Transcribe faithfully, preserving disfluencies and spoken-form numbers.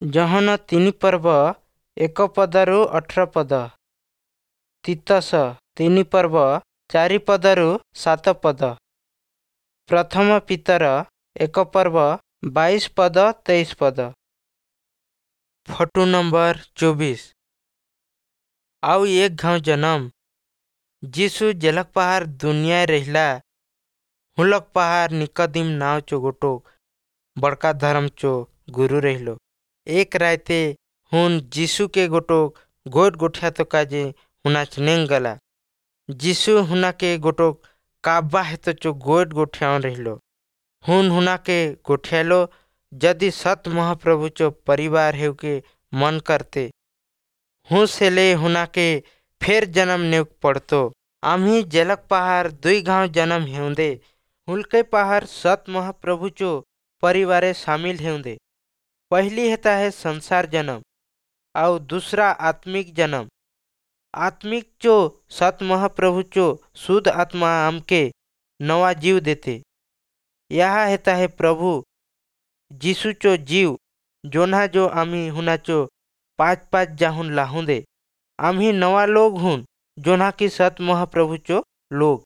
ଯୋହନ ତିନି ପର୍ବ ଏକ ପଦରୁ ଅଠର ପଦ। ତୀତସ ତିନି ପର୍ବ ଚାରି ପଦରୁ ସାତ ପଦ। ପ୍ରଥମ ପିତର ଏକ ପର୍ବ ବାଇଶ ପଦ ତେଇଶ ପଦ। ଫଟୁ ନମ୍ବର ଚବିଶ। ଆଉ ଏକ ଘାଉଁ ଜନମ ଯୀଶୁ ଜେଲକ ପାହାର ଦୁନିଆ ରହିଲା, ହୁଲକ ପାହାର ନିକଦିମ ନାव चो गोटो बड़का धर्म चो गुरु रहिलो। एक रायते हुन यीशु के गोटो गोट गोठिया तो काजे हुनाच नेंग गला। यीशु हुना के गोटो काबा हेतो चो गोट गोठियाउन रहिलो। हुन हुना के गोठियालो यदि सत महाप्रभु चो परिवार हेउ के मन करते हूँ से ले हुना के फेर जन्म नेउक पड़तो। आम्ही जेलक पहार दुई घाव जन्म हेउंदे हुलके पहार सत महाप्रभु चो परिवारे शामिल हेउंदे। पहली हेता है संसार जन्म और दूसरा आत्मिक जन्म। आत्मिक चो सत महाप्रभु चो शुद्ध आत्मा हमके नवा जीव देते। यह हेता है प्रभु यीशु चो जीव जोन्हा जो आम्ही हुनाचो पाँच पाँच जाहुन लाहुंदे। आम्ही नवा लोग हुन जोन्हा की सत महाप्रभु चो लोग।